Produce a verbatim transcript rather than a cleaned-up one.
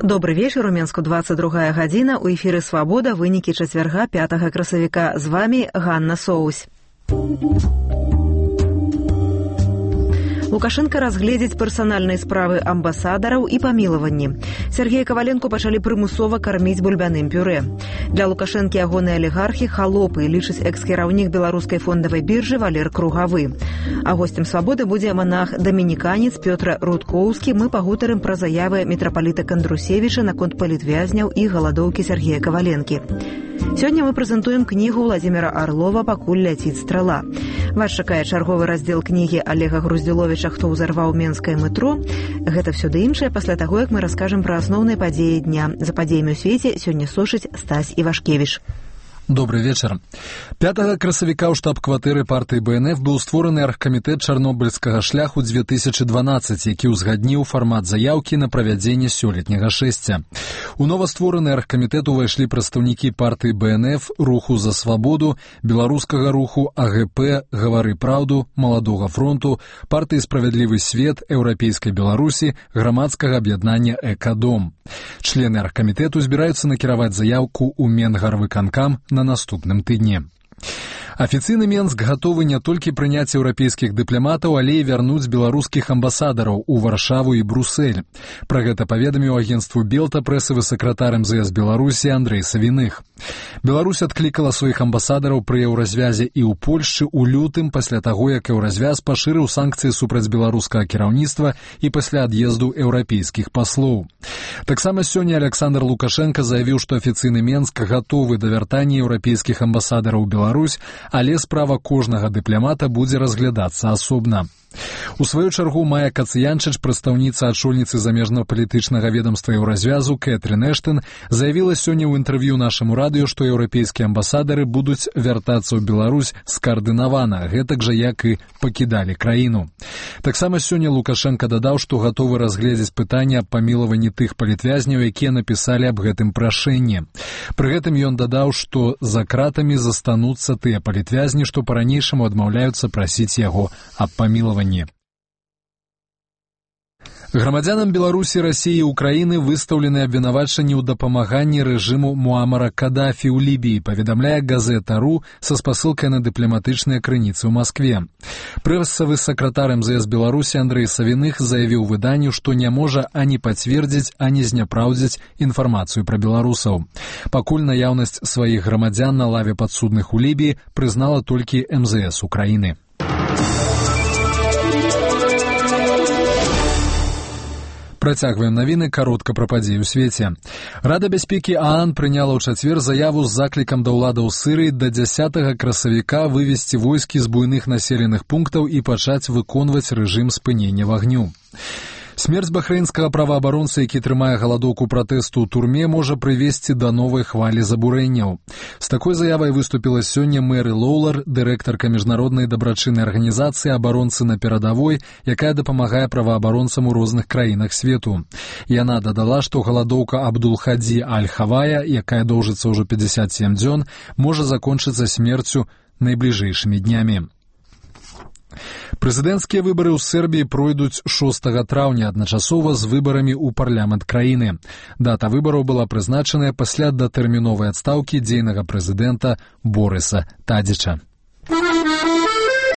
Добрый вечер, у Менску двадцать другая гадзіна, у эфіры «Свабода», вынікі чацвярга пятага красавіка. З вами Ганна Соусь. Лукашенко разгледзіць персанальныя справы амбасадараў і памілаванні. Сергея Коваленко пачалі прымусова карміць бульбяным пюрэ. Для Лукашэнкі ягоныя алігархі халопы, лічыць экс-кіраўнік беларускай фондавай біржы Валер Кругавы. А гостем «Свабоды» будзе манах-дамініканец Пётр Рудкоўскі. Мы пагутарым пра заявы мітрапаліта Кандрусевіча наконт палітвязняў і галадоўкі Сергея Коваленкі. Сёння мы прэзентуем кнігу Владзіміра Арлова «Пакуль ляціць страла». Вас чакае чарговы раздзел кнігі Олега Груздзіловіча «Хто ўзарваў менскае метро». Гэта ўсё ды іншае пасля таго, як мы раскажам пра асноўныя падзеі дня. За падзеямі ў свеце сёння сочыць Стась Івашкевіч. Добрый вечер. пятага красавіка ў штаб-кватэры партыі Бэ Эн Эф быў створаны аргкамітэт чарнобыльскага шляху две тысячи дванаццаць, які ўзгадніў фармат заяўкі на правядзенне сёлетняга шэсця. У новаствораны аргкамітэт увайшлі прадстаўнікі партыі Бэ Эн Эф, руху за свабоду, беларускага руху, А Гэ Пэ, Гавары праўду, Маладога фронту, партыі Справядлівы свет, Еўрапейскай Беларусі, грамадскага аб'яднання Экадом. Члены аргкамітэту збіраюцца накіраваць заяўку ў Менгарвыканкам на наступным тыдні. Афіцыйны Менск гатовы не толькі прыняць еўрапейскіх дыпламатаў, але і вярнуць беларускіх амбасадараў у Варшаву і Брусэль. Пра гэта паведаміў агенцтву Белта прэсавы сакратар Эм Зэ Эс Беларусі Андрэй Савіных. Беларусь адклікала сваіх амбасадараў пры еўразвязе і ў Польшчы ў лютым пасля таго, як еўразвяз пашырыў санкцыі супраць беларускага кіраўніцтва і пасля ад'езду еўрапейскіх паслоў. Таксама сёння Александр Лукашенко заявіў, што афіцыйны Менск гатовы да вяртання еўрапейскіх амбасадараў у Беларусь, але справа кожнага дыпламата будзе разглядацца асобна. У сваю чаргу Майя Кацыянчыч, прадстаўніца адшольніцы замежна-палітычнага ведамства еўразвязу Кэтрин Эштон, заявіла сёння ў інтэрв'ю нашаму радыё, што еўрапейскія амбасадары будуць вяртацца ў Беларусь скаардынавана, гэтак жа як і пакідалі краіну. Таксама сёння Лукашенко дадаў, што гатовы разгледзець пытанне аб памілаванні тых палітвязняў, якія напісалі аб гэтым прашэнні. Пры гэтым ён дадаў, што за кратамі застануцца тыя палітвязні, што па-ранейшаму адмаўляюцца прасіць яго аб памілаванні. Грамадзянам Беларусі, Расіі і Украіны выстаўлены абвінавачанні ў дапамаганні рэжыму Муамара Кадафі ў Лібіі, паведамляе газета.ру са спасылкай на дыпламатычныя крыніцы ў Маскве. Прэсавы сакратар Эм Зэ Эс Беларусі Андрэй Савіных заявіў выданню, што не можа ані пацвердзіць, ані зняпраўдзіць інфармацыю пра беларусаў. Пакуль наяўнасць сваіх грамадзян на лаве падсудных у Лібіі прызнала толькі Эм Зэ Эс Украіны. Працягваем навіны, каротка пра падзеі ў свеце. Рада бяспекі ААН прыняла ў чацвер заяву з заклікам да ўладаў Сырыі да дзясятага красавіка вывесці войскі з буйных населеных пунктаў і пачаць выконваць рэжым спынення вагню. Смерць бахрэйнскага праваабаронцы, які трымае галадоўку пратэсту ў турме, можа прывесці да новай хвалі забурэнняў. З такой заявай выступіла сёння Мэры Лоулар, дырэктарка міжнароднай дабрачыннай арганізацыі «Абаронцы на перадавой», якая дапамагае праваабаронцам у розных краінах свету. Яна дадала, што галадоўка Абдул-Хадзі Аль-Хавая, якая доўжыцца ўжо пятьдесят семь дзён, можа закончыцца смерцю найбліжэйшымі днямі. Прэзідэнцкія выбары ў Сербіі пройдуць шостага траўня адначасова з выбарамі ў парламент краіны. Дата выбараў была прызначаная пасля датэрміновай адстаўкі дзейнага прэзідэнта Борыса Тадзіча.